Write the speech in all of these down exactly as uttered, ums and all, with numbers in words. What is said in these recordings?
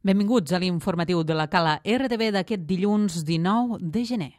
Benvinguts a l'informatiu de la Cala R T V d'aquest dilluns dinou de gener.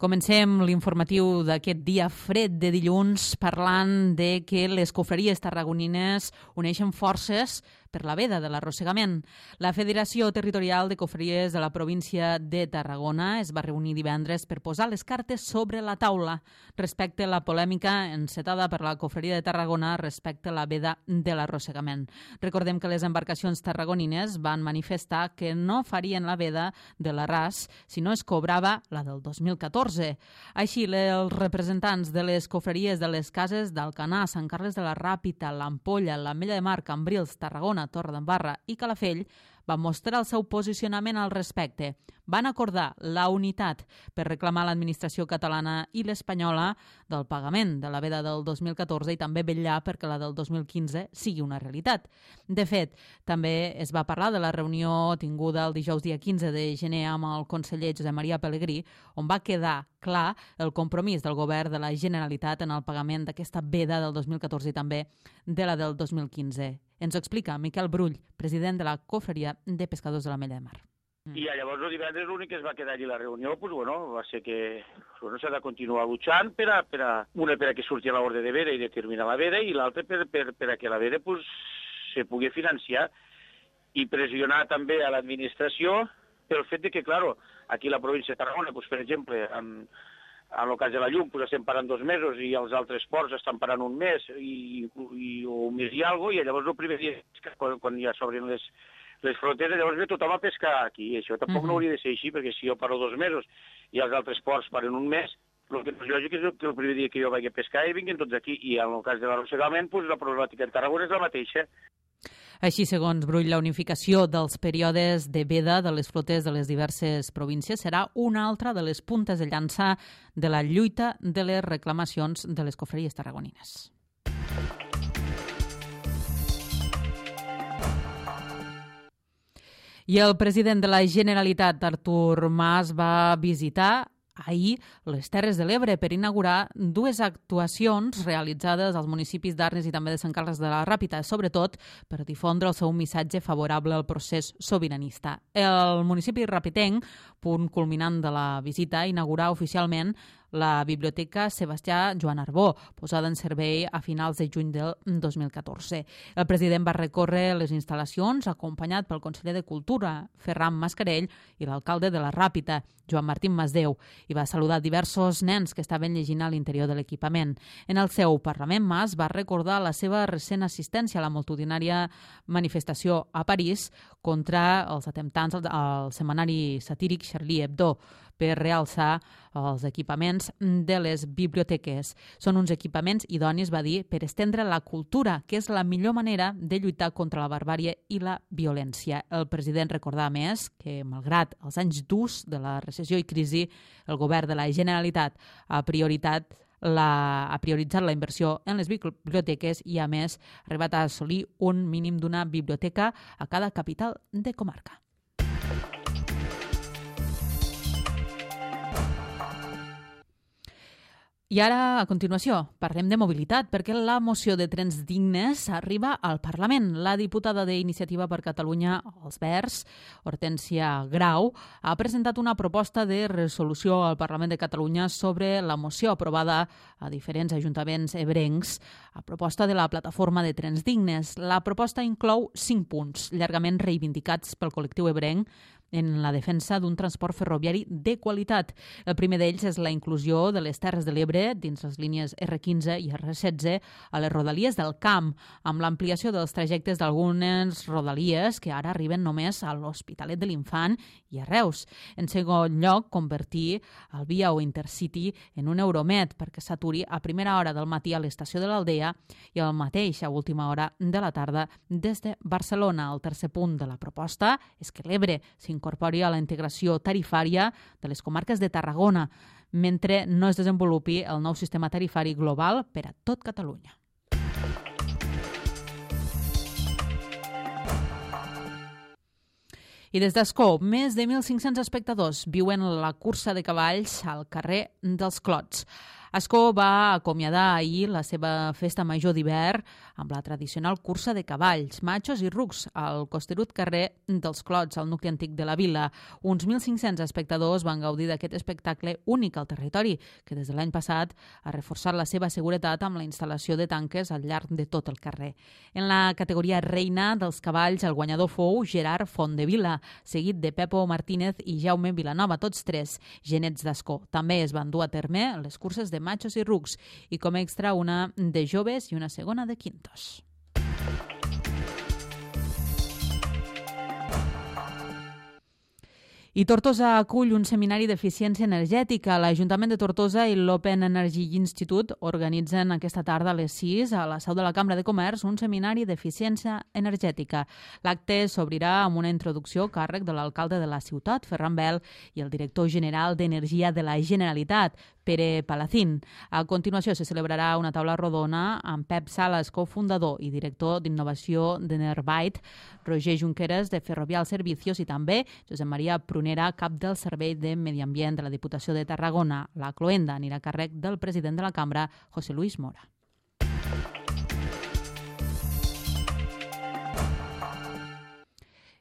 Comencem l'informatiu d'aquest dia fred de dilluns parlant de que les confraries tarragonines uneixen forces per la veda de l'arrossegament. La Federació Territorial de Confraries de la província de Tarragona es va reunir divendres per posar les cartes sobre la taula respecte a la polèmica encetada per la Confraria de Tarragona respecte a la veda de l'arrossegament. Recordem que les embarcacions tarragonines van manifestar que no farien la veda de l'Arràs si no es cobrava la del dos mil catorze. Així, els representants de les confraries de les cases d'Alcanar, Sant Carles de la Ràpita, l'Ampolla, l'Ametlla de Mar, Cambrils, Tarragona, Torredembarra i Calafell van mostrar el seu posicionament al respecte. Van acordar la unitat per reclamar l'administració catalana i l'espanyola del pagament de la veda del dos mil catorze i també vetllar perquè la del dos mil quinze sigui una realitat. De fet, també es va parlar de la reunió tinguda el dijous dia quinze de gener amb el conseller Josep Maria Pelegrí, on va quedar clar el compromís del govern de la Generalitat en el pagament d'aquesta veda del dos mil catorze i també de la del dos mil quinze. Ens ho explica Miquel Brull, president de la Confraria de Pescadors de l'Ametlla de Mar. I llavors el divendres l'únic que es va quedar allí la reunió pues, bueno, va ser que bueno, s'ha de continuar luchant per a, per a, una per a que surti l'ordre de veda i determinar la veda i l'altra per, per, per a que la veda pues, se pugui financiar i pressionar també a l'administració pel fet de que, claro, aquí a la província de Tarragona, pues, per exemple, amb, en el cas de la llum pues, estem parant dos mesos i els altres ports estan parant un mes i, i, o un mes i alguna cosa, i llavors el primer dia, quan, quan ja s'obren les, les fronteres, llavors ve tothom a pescar aquí. I això tampoc uh-huh. no hauria de ser així, perquè si jo paro dos mesos i els altres ports paren un mes, el que no és lògic és que el primer dia que jo vagi a pescar i vinguin tots aquí. I en el cas de l'arrossegament, pues, la problemàtica en Tarragona és la mateixa. Així, segons Brull, la unificació dels períodes de veda de les flotes de les diverses províncies serà una altra de les puntes de llança de la lluita de les reclamacions de les confraries tarragonines. I el president de la Generalitat, Artur Mas, va visitar ahir les Terres de l'Ebre per inaugurar dues actuacions realitzades als municipis d'Arnes i també de Sant Carles de la Ràpita, sobretot per difondre el seu missatge favorable al procés sobiranista. El municipi rapitenc, punt culminant de la visita, inaugurà oficialment la Biblioteca Sebastià Joan Arbó, posada en servei a finals de juny del dos mil catorze. El president va recórrer les instal·lacions acompanyat pel conseller de Cultura, Ferran Mascarell, i l'alcalde de la Ràpita, Joan Martín Masdeu, i va saludar diversos nens que estaven llegint a l'interior de l'equipament. En el seu Parlament, Mas va recordar la seva recent assistència a la multitudinària manifestació a París contra els atemptats al setmanari satíric Charlie Hebdo per realçar els equipaments de les biblioteques. Són uns equipaments idonis, va dir, per estendre la cultura, que és la millor manera de lluitar contra la barbàrie i la violència. El president recordava més que, malgrat els anys durs de la recessió i crisi, el govern de la Generalitat ha prioritat La, ha prioritzat la inversió en les biblioteques i, a més, ha arribat a assolir un mínim d'una biblioteca a cada capital de comarca. I ara, a continuació, parlem de mobilitat, perquè la moció de trens dignes arriba al Parlament. La diputada d'Iniciativa per Catalunya, els Verds, Hortènsia Grau, ha presentat una proposta de resolució al Parlament de Catalunya sobre la moció aprovada a diferents ajuntaments ebrencs a proposta de la plataforma de trens dignes. La proposta inclou cinc punts, llargament reivindicats pel col·lectiu ebrenc, en la defensa d'un transport ferroviari de qualitat. El primer d'ells és la inclusió de les Terres de l'Ebre dins les línies erre quinze i erre setze a les rodalies del Camp, amb l'ampliació dels trajectes d'algunes rodalies que ara arriben només a l'Hospitalet de l'Infant i a Reus. En segon lloc, convertir el Via o Intercity en un Euromed perquè s'aturi a primera hora del matí a l'estació de l'Aldea i al mateix a última hora de la tarda des de Barcelona. El tercer punt de la proposta és que l'Ebre s'incorpori a la integració tarifària de les comarques de Tarragona, mentre no es desenvolupi el nou sistema tarifari global per a tot Catalunya. I des d'Ascó, més de mil cinc-cents espectadors viuen la cursa de cavalls al carrer dels Clots. Ascó va acomiadar ahir la seva festa major d'hivern amb la tradicional cursa de cavalls, matxos i rucs al costerut carrer dels Clots, al nucli antic de la vila. Uns mil cinc-cents espectadors van gaudir d'aquest espectacle únic al territori, que des de l'any passat ha reforçat la seva seguretat amb la instal·lació de tanques al llarg de tot el carrer. En la categoria reina dels cavalls, el guanyador fou Gerard Fondevila, seguit de Pepo Martínez i Jaume Vilanova, tots tres genets d'Ascó. També es van dur a terme les curses de matxos i rucs i com extra una de joves i una segona de quintos. I Tortosa acull un seminari d'eficiència energètica. L'Ajuntament de Tortosa i l'Open Energy Institute organitzen aquesta tarda a les sis a la seu de la Cambra de Comerç un seminari d'eficiència energètica. L'acte s'obrirà amb una introducció a càrrec de l'alcalde de la ciutat, Ferran Bel, i el director general d'Energia de la Generalitat, Pere Palacín. A continuació se celebrarà una taula rodona amb Pep Sales, cofundador i director d'innovació de Nerbyte, Roger Junqueras, de Ferrovial Servicios, i també Josep Maria Prunera, cap del Servei de Medi Ambient de la Diputació de Tarragona. La cloenda anirà a càrrec del president de la cambra, José Luis Mora.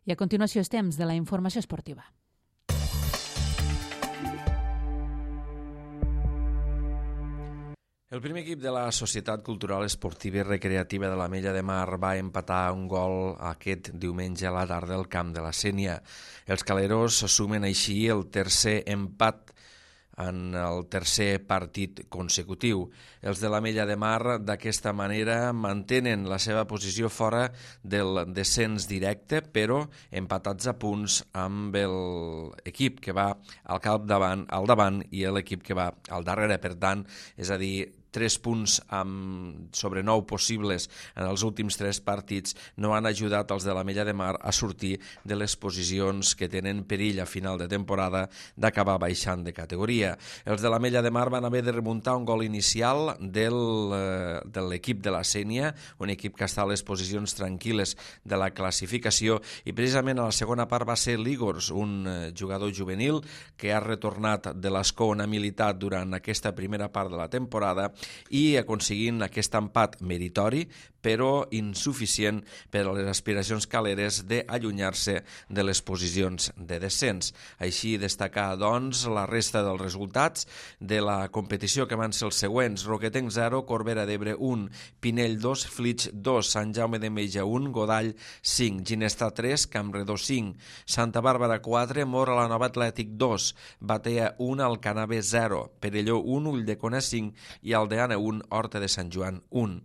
I a continuació és temps de la informació esportiva. El primer equip de la Societat Cultural Esportiva i Recreativa de l'Ametlla de Mar va empatar un gol aquest diumenge a la tarda al camp de la Sénia. Els caleros sumen així el tercer empat en el tercer partit consecutiu. Els de l'Ametlla de Mar d'aquesta manera mantenen la seva posició fora del descens directe, però empatats a punts amb l'equip que va al capdavant, al davant i l'equip que va al darrere. Per tant, és a dir, tres punts amb sobre nou possibles en els últims tres partits no han ajudat els de l'Ametlla de Mar a sortir de les posicions que tenen perill a final de temporada d'acabar baixant de categoria. Els de l'Ametlla de Mar van haver de remuntar un gol inicial del, eh, de l'equip de la Sénia, un equip que està a les posicions tranquil·les de la classificació, i precisament a la segona part va ser l'Igors, un eh, jugador juvenil que ha retornat de l'Ascó on ha militat durant aquesta primera part de la temporada i aconseguint aquest empat meritori però insuficient per a les aspiracions caleres d'allunyar-se de les posicions de descens. Així destacar, doncs, la resta dels resultats de la competició que van ser els següents: Roquetenc zero, Corbera d'Ebre un, Pinell dos, Flix dos, Sant Jaume d'Enveja un, Godall cinc, Ginestar tres, Campredó cinc, Santa Bàrbara quatre, Mora la Nova Atlètic dos, Batea un, Alcanave zero, Perelló un, Ulldecona cinc i Aldeana un, Horta de Sant Joan un.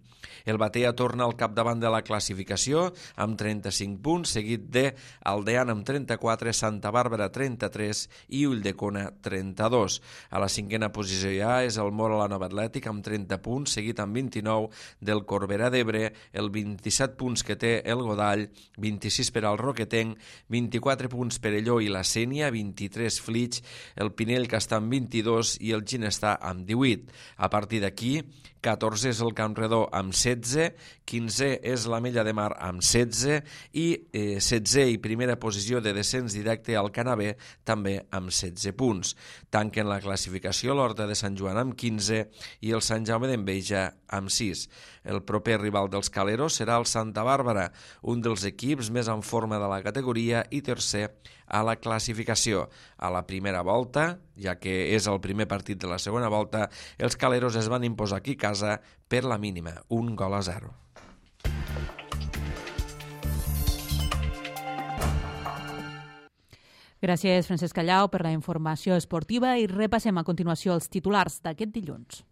El Batea torna al capdavant de la classificació amb trenta-cinc punts, seguit de Aldeana amb trenta-quatre, Santa Bàrbara trenta-tres i Ulldecona trenta-dos. A la cinquena posició ja és el Mora la Nova Atlètic amb trenta punts, seguit amb vint-i-nou del Corbera d'Ebre, el vint-i-set punts que té el Godall, vint-i-sis per al Roquetenc, vint-i-quatre punts per Perelló i la Sénia, vint-i-tres Flix, el Pinell que està amb vint-i-dos i el Ginestar amb divuit. A partir d'aquí, catorze és el Campredó amb setze, quinze és l'Ametlla de Mar amb setze i eh, setze i primera posició de descens directe al Canavè també amb setze punts. Tanquen la classificació l'Horta de Sant Joan amb quinze i el Sant Jaume d'Enveja amb sis. El proper rival dels caleros serà el Santa Bàrbara, un dels equips més en forma de la categoria i tercer a la classificació. A la primera volta, ja que és el primer partit de la segona volta, els caleros es van imposar aquí a casa per la mínima, un gol a zero. Gràcies, Francesc Callau, per la informació esportiva i repassem a continuació els titulars d'aquest dilluns.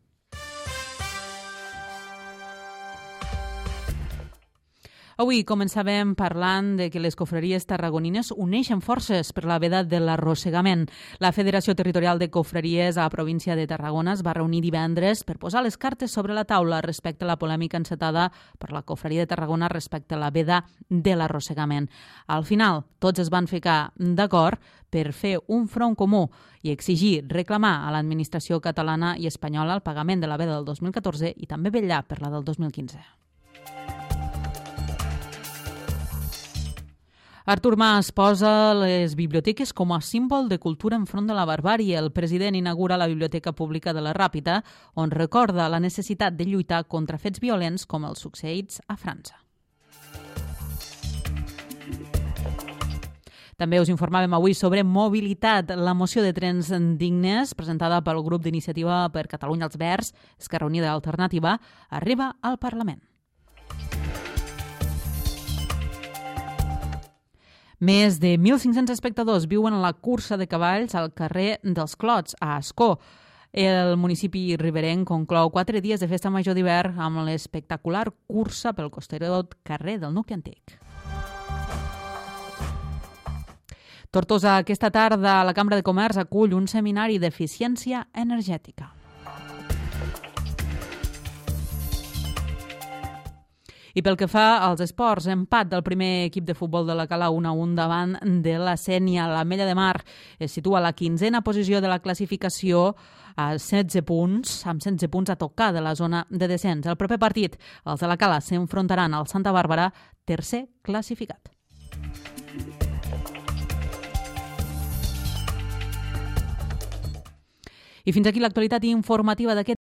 Avui començàvem parlant de que les cofreries tarragonines uneixen forces per la veda de l'arrossegament. La Federació Territorial de Cofreries a la província de Tarragona es va reunir divendres per posar les cartes sobre la taula respecte a la polèmica encetada per la cofreria de Tarragona respecte a la veda de l'arrossegament. Al final, tots es van ficar d'acord per fer un front comú i exigir, reclamar a l'administració catalana i espanyola el pagament de la veda del dos mil catorze i també vetllar per la del dos mil quinze. Artur Mas posa les biblioteques com a símbol de cultura enfront de la barbàrie. El president inaugura la Biblioteca Pública de la Ràpita, on recorda la necessitat de lluitar contra fets violents com els succeïts a França. També us informàvem avui sobre mobilitat. La moció de trens dignes, presentada pel grup d'Iniciativa per Catalunya als Verds, Esquerra Unida i Alternativa, arriba al Parlament. Més de mil cinc-cents espectadors viuen la cursa de cavalls al carrer dels Clots, a Ascó. El municipi riberenc conclou quatre dies de festa major d'hivern amb l'espectacular cursa pel costerot carrer del nucli antic. Tortosa, aquesta tarda la Cambra de Comerç acull un seminari d'eficiència energètica. I pel que fa als esports, empat del primer equip de futbol de la Cala un a un davant de la Sénia. L'Ametlla de Mar es situa a la quinzena posició de la classificació a setze punts, amb setze punts a tocar de la zona de descens. El proper partit, els de la Cala s'enfrontaran al Santa Bàrbara, tercer classificat. I fins aquí l'actualitat informativa d'aquest